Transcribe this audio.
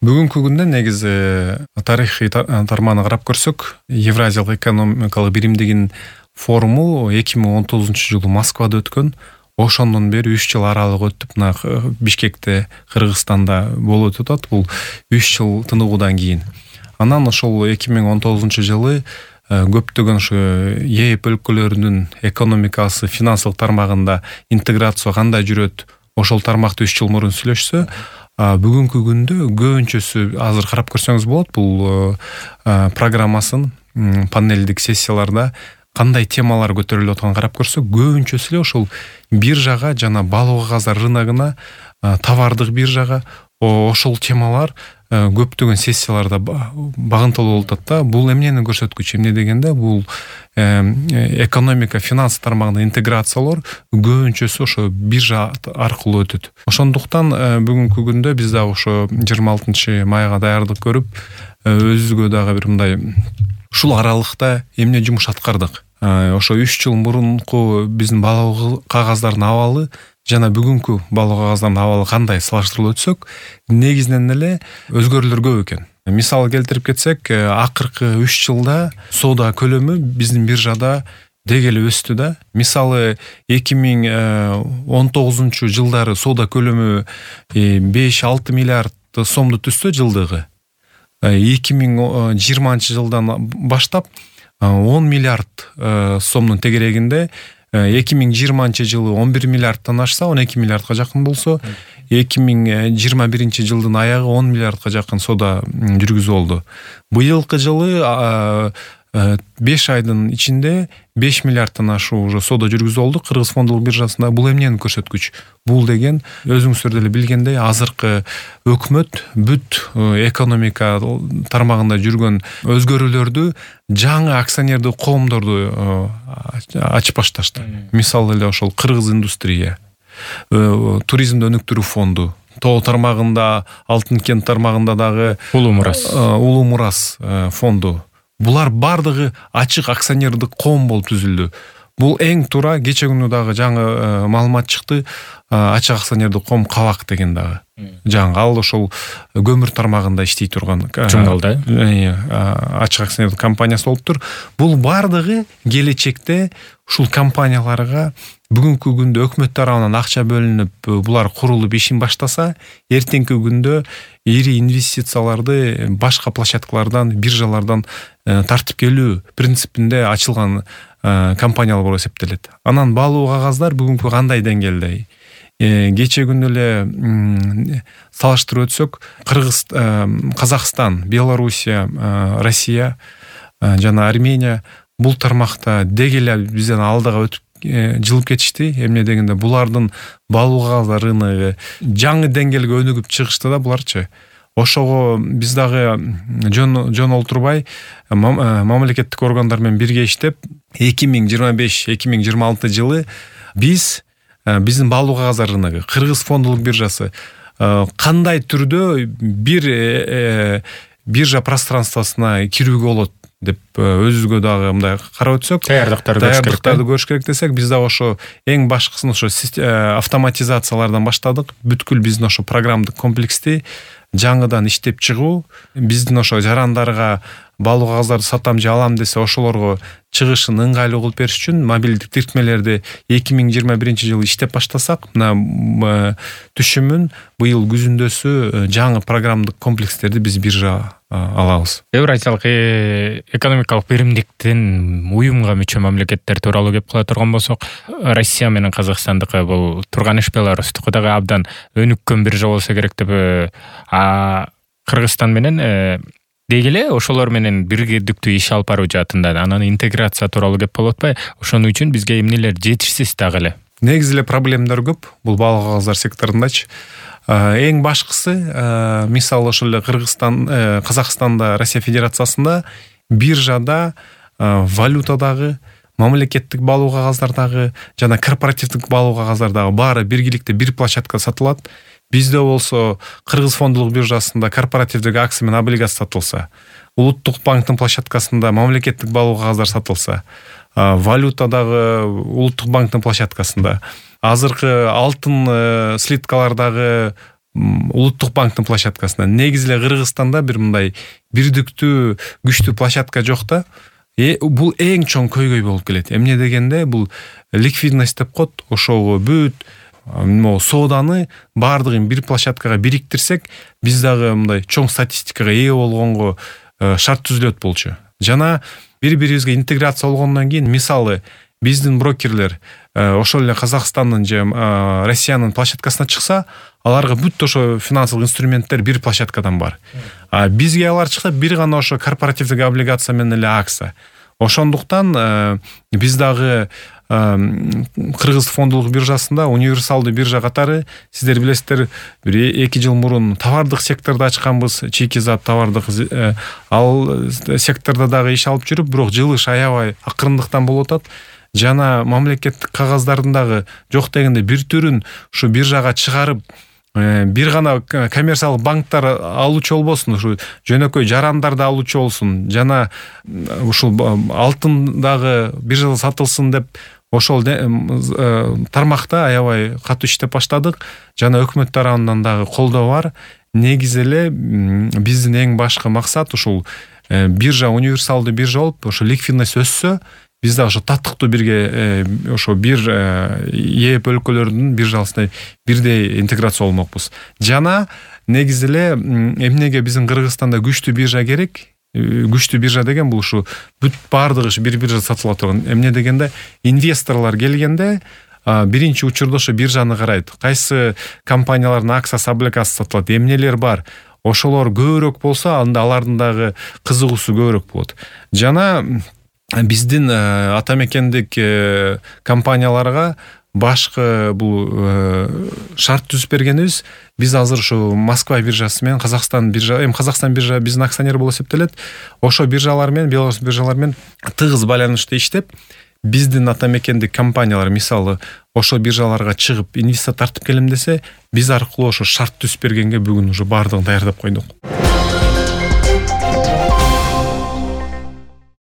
Бүгүнкү күндө негизи тарыхый тармагына карап көрсөк, Евразиялык экономикалык биримдигинин форуму 2019-жылы Москвада өткөн. Ошондон бери 3 жыл аралык өтүп, мына Бишкекте, Кыргызстанда болуп атат. Бул 3 жыл тыныгуудан кийин. Анан ошол 2019-жылы көптөгөн ушу ЕЭП өлкөлөрүнүн экономикасы, финансылык тармагында интеграция кандай жүрөт, ошол тармакты 3 жыл мурун сүйлөшсө, бүгүнкү күндө көбүнчөсү азыр карап көрсөңүз болот, бул программасын панелдик сессияларда кандай темалар көтөрүлүп атканын карап көрсөк, көбүнчөсү эле ошол биржага жана балуу кагаздар рыногуна, товардык биржага ошол темалар көптөгөн сессияларда багынтылуу болуп атат да. Бул эмнени көрсөткүч? Эмне дегенде, бул экономика, финанс тармагына интеграциялар көбүнчөсү ошо биржа аркылуу өтөт. Ошондуктан бүгүнкү күндө биз дагы ошо 26 майга даярдык көрүп, өзүбүзгө дагы бир мындай ушул аралыкта эмне жумуш аткардык. Ошо 3 жыл мурунку биздин балуу кагаздардын абалы жана бүгүнкү балуу кагаздардын абалы кандай салыштырылып өтсөк, негизинен эле өзгөрүүлөр көп экен. Мисал келтирип кетсек, акыркы 3 жылда соода көлөмү биздин биржада деги эле өстү да. Мисалы 2019 жылдары соода көлөмү 5-6 миллиард сомду түздө жылдыгы. 2020 жылдан баштап 10 миллиард сомдун тегерегинде, 2020 жылы 11 миллиардтан ашса, 12 миллиардка жакын болсо, 2021 жылдын аягы 10 миллиардка жакын соода жүргүзүү болду. Быйылкы жылы 5 айдын ичинде 5 миллиардтан ашуу уже соода жүргүзүү болду Кыргыз фондулук биржасында. Бул эмнени көрсөткүч? Бул деген өзүңүздөр деле билгендей, азыркы өкмөт бүт экономика тармагында жүргөн өзгөрүүлөрдү жаңы акционердик коомдорду ачып башташты. Мисалы эле ошол Кыргыз индустрия, туризмди өнүктүрүү фонду, тоо тармагында, Алтын кент тармагында дагы Улуу Мурас фонду. Булар бардыгы ачык акционердик коом болуп түзүлдү. Бул эң туура, кече күнү дагы жаңы маалымат чыкты. Ачык акционердик коом Кабак деген дагы. Жаңы ал ошол көмүр тармагында иштей турган Чуңгалда ачык акционердик компаниясы болуптур. Бул бардыгы келечекте ушул компанияларга бүгүнкү күндө өкмөт тарабынан акча бөлүнүп, булар курулуп ишин баштаса, эртеңки күндө ири инвестицияларды башка площадкалардан, биржалардан тартып келүү принципинде ачылган компаниялар болуп эсептелет. Анан балуу кагаздар бүгүнкү кандай деңгээлде? Кече күнү эле салыштырып өтсөк, Казакстан, Белоруссия, Россия жана Армения бул тармакта деги эле бизден алдыга өтүп жылып кетишти. Эмне дегенде, булардын балуу кагаздар рыногу жаңы деңгээлге өнүгүп чыгышты да буларчы. Ошого биз дагы жөн олтурбай мамлекеттик органдар менен бирге иштеп 2025-2026 жылы биздин балуу кагаздар рыногу, Кыргыз фондулук биржасы кандай түрдө бир биржа пространствосуна кирүүгө болот деп өзүбүзгө дагы мындай карап өтсөк, даярдыктарды көрүш керек десек, биз дагы ошо эң башкысын ошо автоматизациялардан баштадык. Бүткүл биздин ошо программдык комплексти жаңыдан иштеп чыгуу, биздин ошо жарандарга балуу кагаздарды сатам же алам десе, ошолорго чыгышын ыңгайлуу кылып бериш үчүн мобилдик тиркмелерди 2021 жылы иштеп баштасак, мына түшүмүн быйыл күзүндөсү жаңы программдык комплекстерди биз биржа алабыз. Евразиялык экономикалык биримдиктин уюмга мүчө мамлекеттер тууралуу кеп кыла турган болсок, Россия менен Казакстандыкы бул турган иш, Беларустуку дагы абдан өнүккөн биржа болсо керек деп, Кыргызстан менен деги эле ошолор менен биргеликтүү иш алып баруу жаатында анан интеграция тууралуу кеп болуп атпайбы? Ошону үчүн бизге эмнелер жетишсиз дагы эле? Негизи эле проблемалар көп бул балуу кагаздар секторундачы. Эң башкысы, мисалы ошол эле Казакстанда, Россия Федерациясында биржада валютадагы, мамлекеттик балуу кагаздардагы жана корпоративдик балуу кагаздардагы баары биргеликте бир площадкада сатылат. Бизде болсо Кыргыз фондулук биржасында корпоративдик акция менен облигация сатылса, Улуттук банктын площадкасында мамлекеттик балуу кагаздар сатылса, валютадагы Улуттук банктын площадкасында, азыркы алтын слиткалардагы улуттук банктын площадкасына. Негизи эле Кыргызстанда бир мындай бирдиктүү күчтүү площадка жок да. Бул эң чоң көйгөй болуп келет. Эмне дегенде бул ликвидность деп коет. Ошого бүт сооданы баардыгын бир площадкага бириктирсек, биз дагы мындай чоң статистикага ээ болгонго шарт түзүлөт болчу. Жана бири-бирибизге интеграция болгондон кийин, мисалы, биздин брокерлер ошол эле Казакстандын же Россиянын площадкасына чыкса, аларга бүт ошо финансылык инструменттер бир площадкадан бар. А бизге алар чыкса, бир гана ошо корпоративдик облигация менен эле акция. Ошондуктан биз дагы Кыргыз фондулук биржасында универсалдуу биржа катары, сиздер билесиздер, бир 2 жыл мурун товардык секторду ачканбыз, чийки зат товардык, ал сектордо дагы иш алып жүрүп, бирок жылыш аябай акырындыктан болуп атат. Жана мамлекеттик кагаздардын дагы жок дегенде бир түрүн ушу биржага чыгарып, бир гана коммерциялык банктар алуучу болбосун, ушу жөнөкөй жарандар да алуучу болсун, жана ушул алтын дагы биржада сатылсын деп ошол тармакта аябай катуу иштеп баштадык. Жана өкмөт тарабынан дагы колдоо бар. Негизи эле биздин эң башкы максат ушул биржа универсалдуу биржа болуп, ошо ликвидность өссө, биз да ошо таттыктуу бирге ошо бир ээп өлкөлөрдүн биржасына бирдей интеграция болмокпуз. Жана негизи эле эмнеге биздин Кыргызстанда күчтүү биржа керек? Күчтүү биржа деген бул ушу бүт баардыгы бир биржада сатыла турган. Эмне дегенде, инвесторлор келгенде биринчи учурда ошо биржаны карайт. Кайсы компаниялардын акциясы, облигациясы сатылат, эмнелер бар. Ошолор көбүрөөк болсо, анда алардын дагы кызыгуусу көбүрөөк болот. Жана биздин ата мекендик компанияларга башкы бул шарт түзүп бергенибиз, биз азыр ушу Москва биржасы менен Казакстан биржа, Казакстан биржа биздин акционер болуп эсептелет. Ошо биржалар менен, Беларусь биржалар менен тыгыз байланышта иштеп, биздин ата мекендик компаниялар, мисалы, ошо биржаларга чыгып инвестиция тартып келем десе, биз аркылуу ошо шарт түзүп бергенге бүгүн уже баардыгын даярдап койдук.